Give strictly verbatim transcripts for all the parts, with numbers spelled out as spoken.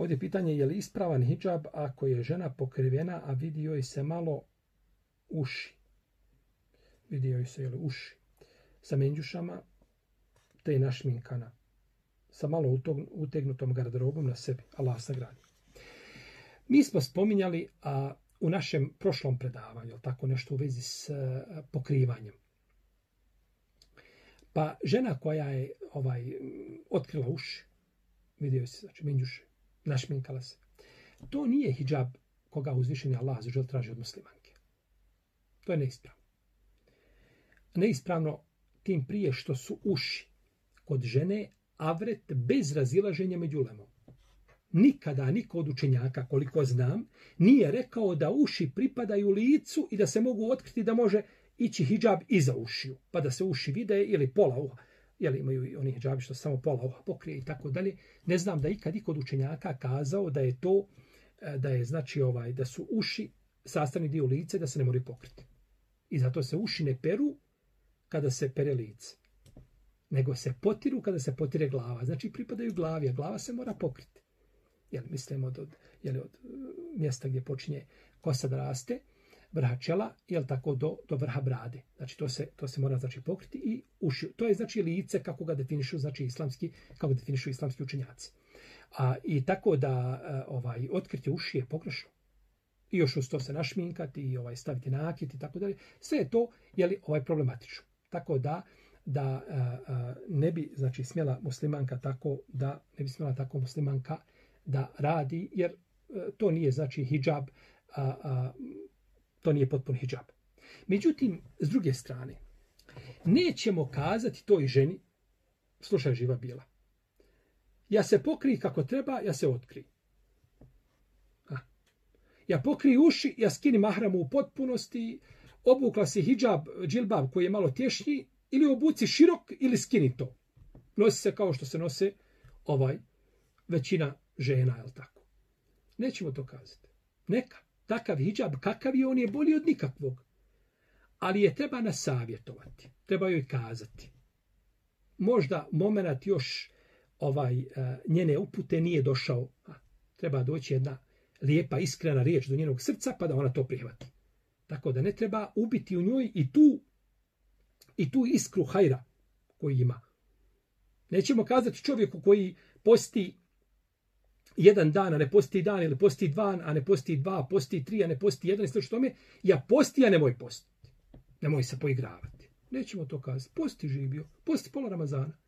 ovdje pitanje je li ispravan hidžab ako je žena pokrivena, a vidi joj se malo uši. Vidi joj se jeli, uši. Sa menđušama, te je našminkana. Sa malo utegnutom garderobom na sebi. Allah sagradi. Mi smo spominjali a, u našem prošlom predavanju, tako nešto u vezi s a, pokrivanjem. Pa žena koja je ovaj otkrila uši, vidio se, znači menđuše, našminkala se. To nije hidžab koga uzvišeni Allah zažel traži od muslimanke. To je neispravno. Neispravno tim prije što su uši kod žene avret bez razilaženja među ulemom. Nikada niko od učenjaka, koliko znam, nije rekao da uši pripadaju licu i da se mogu otkriti da može ići hidžab iza ušiju, pa da se uši vide ili pola uha. Jel imaju oni hidžabi što samo pola uha pokrije i tako dalje. Ne znam da ikad i kod učenjaka kazao da je to, da je znači ovaj, da su uši sastavni dio lice, da se ne moraju pokriti. I zato se uši ne peru kada se pere lice, nego se potiru kada se potire glava. Znači pripadaju glavi, a glava se mora pokriti. Jel, mislimo od, od, jel, od mjesta gdje počinje kosa da raste, vrha čela, jel tako, do, do vrha brade. Znači to se, to se mora znači pokriti i uši. To je znači lice kako ga definišu znači islamski, kako ga definišu islamski učenjaci. A i tako da ovaj otkriti uši je pogrešno. I još uz to se našminkati i ovaj staviti nakit i tako dalje. Sve je to je li ovaj problematično. Tako da da a, a, ne bi znači smjela muslimanka tako da ne bi smjela tako muslimanka da radi, jer a, to nije znači hidžab, a, a, to nije potpun hidžab. Međutim, s druge strane, nećemo kazati toj ženi, slušaj živa bila, ja se pokrij kako treba, ja se otkri. A. Ja pokrij uši, ja skini mahramu u potpunosti, obukla si hidžab, džilbab koji je malo tješnji, ili obuci širok, ili skini to. Nosi se kao što se nose ovaj većina žena, je li tako? Nećemo to kazati. Neka. Takav hidžab, kakav je, on je bolji od nikakvog. Ali je treba nasavjetovati. Treba joj kazati. Možda moment još ovaj njene upute nije došao. A, treba doći jedna lijepa, iskrena riječ do njenog srca, pa da ona to prihvati. Tako da ne treba ubiti u njoj i tu i tu iskru hajra koji ima. Nećemo kazati čovjeku koji posti jedan dan, a ne posti dan, ili posti dva, a ne posti dva, posti tri, a ne posti jedan, i sl. Tome, ja posti, a nemoj postiti. Nemoj se poigravati. Nećemo to kazati. Posti živio, posti pola Ramazana.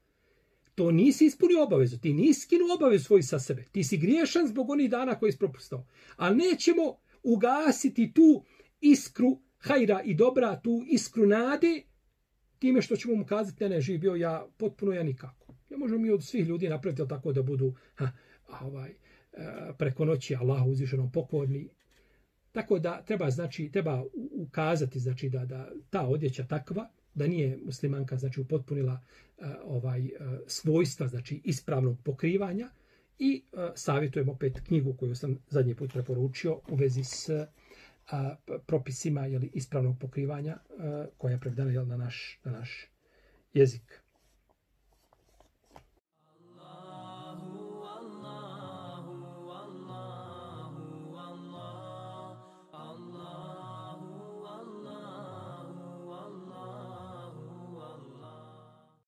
To nisi ispunio obavezu. Ti nisi skinuo obavezu svoju sa sebe. Ti si griješan zbog onih dana koji si propustao. Ali nećemo ugasiti tu iskru hajra i dobra, tu iskru nade, time što ćemo mu kazati, ne, ne, živio ja potpuno ja nikako. Ne možemo mi od svih ljudi napraviti tako da budu ha, ovaj, preko noći Allahu uzvišenom pokorni. Tako da treba, znači, treba ukazati znači, da, da ta odjeća takva, da nije muslimanka znači, upotpunila ovaj, svojstva znači, ispravnog pokrivanja i savjetujem opet knjigu koju sam zadnji put preporučio u vezi s a, propisima jeli, ispravnog pokrivanja a, koja je prevedena jel, na, naš, na naš jezik.